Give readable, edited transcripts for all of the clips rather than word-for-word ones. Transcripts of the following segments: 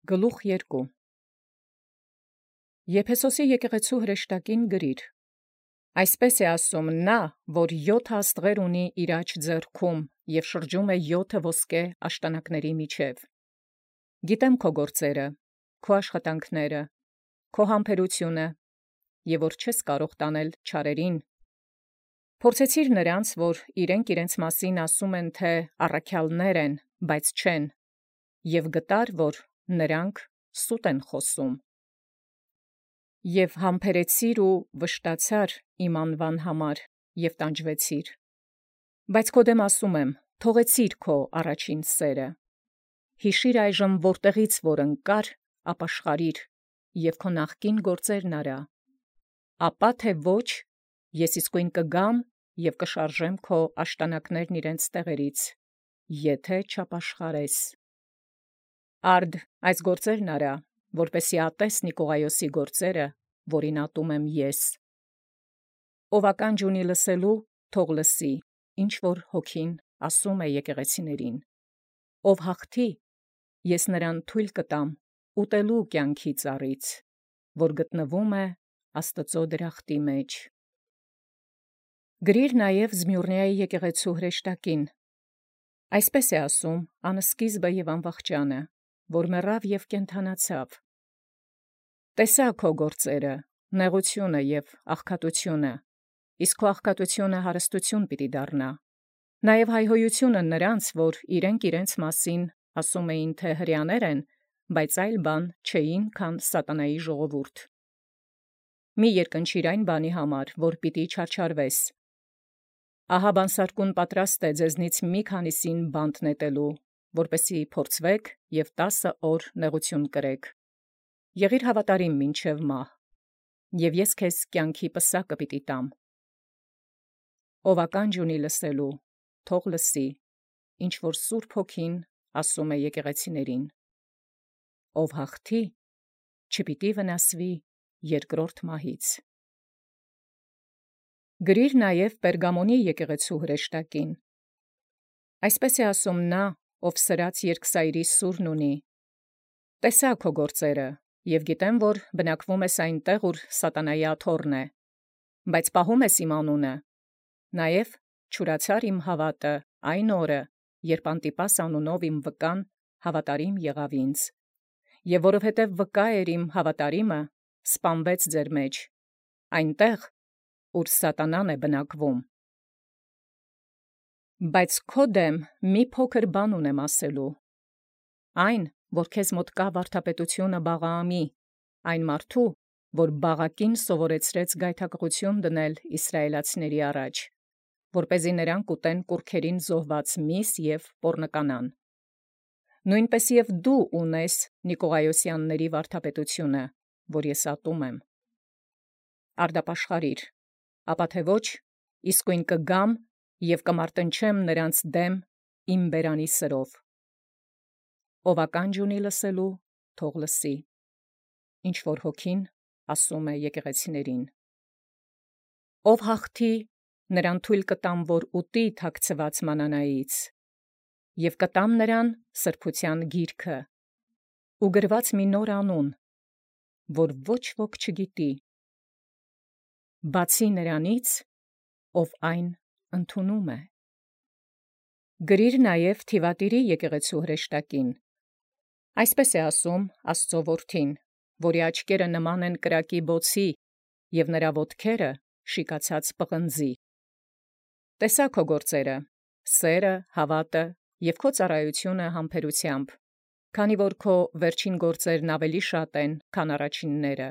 Գլուխ 2 Եփեսոսի եկեղեցու հրեշտակին գրիր. Այսպես է ասում նա, որ 7 աստղեր ունի իր աջ ձեռքում և շրջում է 7 ոսկե աշտանակների միջև։ Գիտեմ քո գործերը, քո աշխատանքները, քո համբերությունը, և որ չես կարող տանել չարերին։ Փորձեցիր նրանց, որ իրենց մասին ասում են, թե առաքյալներ են, բայց չեն, և գտար, որ նրանք սուտ են խոսում։ Եվ համբերեցիր ու վշտացար իմ անվան համար և տանջվեցիր։ Բայց քո դեմ ասում եմ, թողեցիր քո առաջին սերը։ Հիշիր այժմ որտեղից որ ընկար, ապաշխարիր և քո նախկին գործերն արա։ Ապա թե ոչ, ես իսկույն կգամ և կշարժեմ քո աշտանակներն իրենց տեղերից, եթե չապաշխարես։ Արդ այս գործերն արա, որպեսզի ատես Նիկողայոսի գործերը, որին ատում եմ ես։ Ով ականջ ունի լսելու, թող լսի, ինչ որ Հոգին ասում է եկեղեցիներին։ Ով հաղթի, ես նրան թույլ կտամ ուտելու կյանքի ծառից, որ գտնվում է Աստծո դրախտի մեջ։ Գրիր նաև Զմյուռնիայի եկեղեցու հրեշտակին. Այսպես է ասում անսկիզբը և անվախճանը, որ մեռավ և կենդանացավ։ Տեսա քո գործերը, նեղությունը և աղքատությունը, իսկ քո աղքատությունը հարստություն պիտի դառնա։ Նաև հայհոյությունը նրանց, որ իրենց մասին ասում էին, թե հրեաներ են, բայց այլ բան չէին, քան սատանայի ժողովուրդ։ Մի երկնչիր այն բանի համար, որ պիտի չարչարվես։ Ահա բանսարկուն պատրաստ է ձեզնից մի քանիսին բանտ նետելու, որպեսզի փորձվեք և 10 օր նեղություն կրեք։ Եղիր հավատարիմ մինչև մահ, և ես քեզ կյանքի պսակը պիտի տամ։ Ով ականջ ունի լսելու, թող լսի, ինչ որ Սուրբ Հոգին ասում է եկեղեցիներին։ Ով հաղթի, չպիտի վնասվի երկրորդ մահից։ Գրիր նաև Պերգամոնի եկեղեցու հրեշտակին. Այսպես է ասում նա, ով սրած երկսայրի սուրն ունի. տեսա քո գործերը, և գիտեմ, որ բնակվում ես այնտեղ, ուր սատանայի աթոռն է, բայց պահում ես իմ անունը, նաև չուրացար իմ հավատը այն օրը, երբ Անտիպաս անունով իմ վկան հավատարիմ եղավ ինձ, և որովհետև վկա էր իմ հավատարիմը, սպանվեց ձեր մեջ, այնտեղ, ուր սատանան է բնակվում։ Բայց քո դեմ մի փոքր բան ունեմ ասելու. այն, որ քեզ մոտ կա վարդապետությունը Բաղաամի, այն մարդու, որ Բաղակին սովորեցրեց գայթակղություն դնել իսրայելացիների առաջ, որպեսզի նրանք ուտեն կուռքերին զոհված միս և պոռնկանան։ Նույնպես և դու ունես Նիկողայոսյանների վարդապետությունը, որ ես ատում եմ։ Արդապաշխարիր, ապա թե ոչ, իսկույն կգամ և կմարտնչեմ նրանց դեմ իմ բերանի սրով։ Ով ականջ ունի լսելու, թող լսի, ինչ որ Հոգին ասում է եկեղեցիներին։ Ով հաղթի, նրան թույլ կտամ, որ ուտի թաքցված մանանայից, և կտամ նրան սրբության գիրքը, ու գրված մի նոր անուն, որ ոչ ոք չգիտի, բացի նրանից, ով այն ընդունում է։ Գրիր նաև Թիվատիրի եկեղեցու հրեշտակին. այսպես է ասում Աստծո որդին, որի աչքերը նման են կրակի բոցի, և նրա ոտքերը շիկացած պղնձի։ Տեսա քո գործերը, սերը, հավատը և քո ծառայությունը համբերությամբ, քանի որ քո վերջին գործերն ավելի շատ են, քան առաջինները։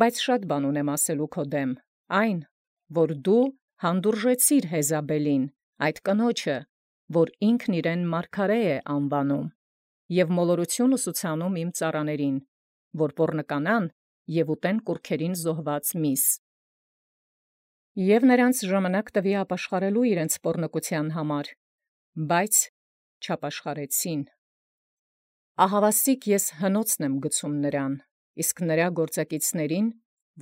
Բայց շատ բան ունեմ ասելու քո դեմ, այն, որ դու հանդուրժեցիր Եզաբելին, այդ կնոջը, որ ինքն իրեն մարգարե է անվանում, և մոլորություն ուսուցանում իմ ծառաներին, որ պոռնկանան և ուտեն կուռքերին զոհված միս։ Եվ նրանց ժամանակ տվի ապաշխարելու իրենց պոռնկության համար, բայց չապաշխարեցին։ Ահավասիկ ես հնոցն եմ գցում նրան, իսկ նրա գործակիցներին,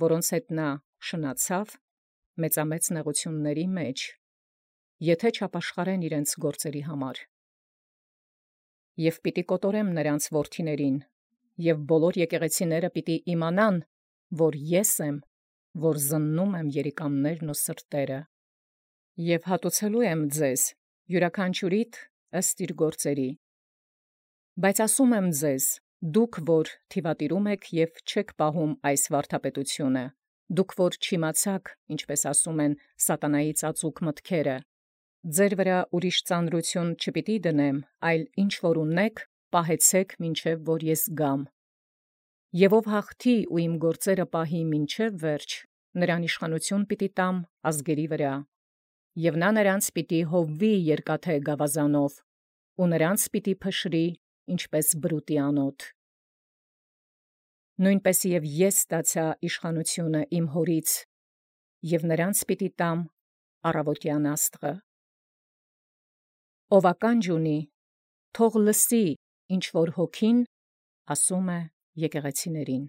որոնց հետ նա շնացավ, մեծամեծ նեղությունների մեջ, եթե չապաշխարեն իրենց գործերի համար։ Եւ պիտի կոտորեմ նրանց որդիներին, եւ բոլոր եկեղեցիները պիտի իմանան, որ ես եմ, որ զննում եմ երիկամներն ու սրտերը, եւ հատուցելու եմ ձեզ յուրաքանչյուրիդ ըստ իր գործերի։ Բայց ասում եմ ձեզ, դուք որ թիվատիրում եք եւ չեք պահում այս վարդապետությունը, դուք որ չիմացաք, ինչպես ասում են, սատանայի ծածուկ մտքերը, ձեր վրա ուրիշ ծանրություն չպիտի դնեմ, այլ ինչ որ ունեք, պահեցեք մինչև որ ես գամ։ Եվ ով հաղթի ու իմ գործերը պահի մինչև վերջ, նրան իշխանություն պիտի տամ ազգերի վրա, եւ նա նրանց պիտի հովվի երկաթե գավազանով, ու նրանց պիտի փշրի, ինչպես բրուտի անոթ։ Նույնպես եւ ես ստացա իշխանությունը իմ հորից, եւ նրանց պիտի տամ առավոտյան աստղը։ Ով ականջ ունի, թող լսի, ինչ որ հոգին ասում է եկեղեցիներին։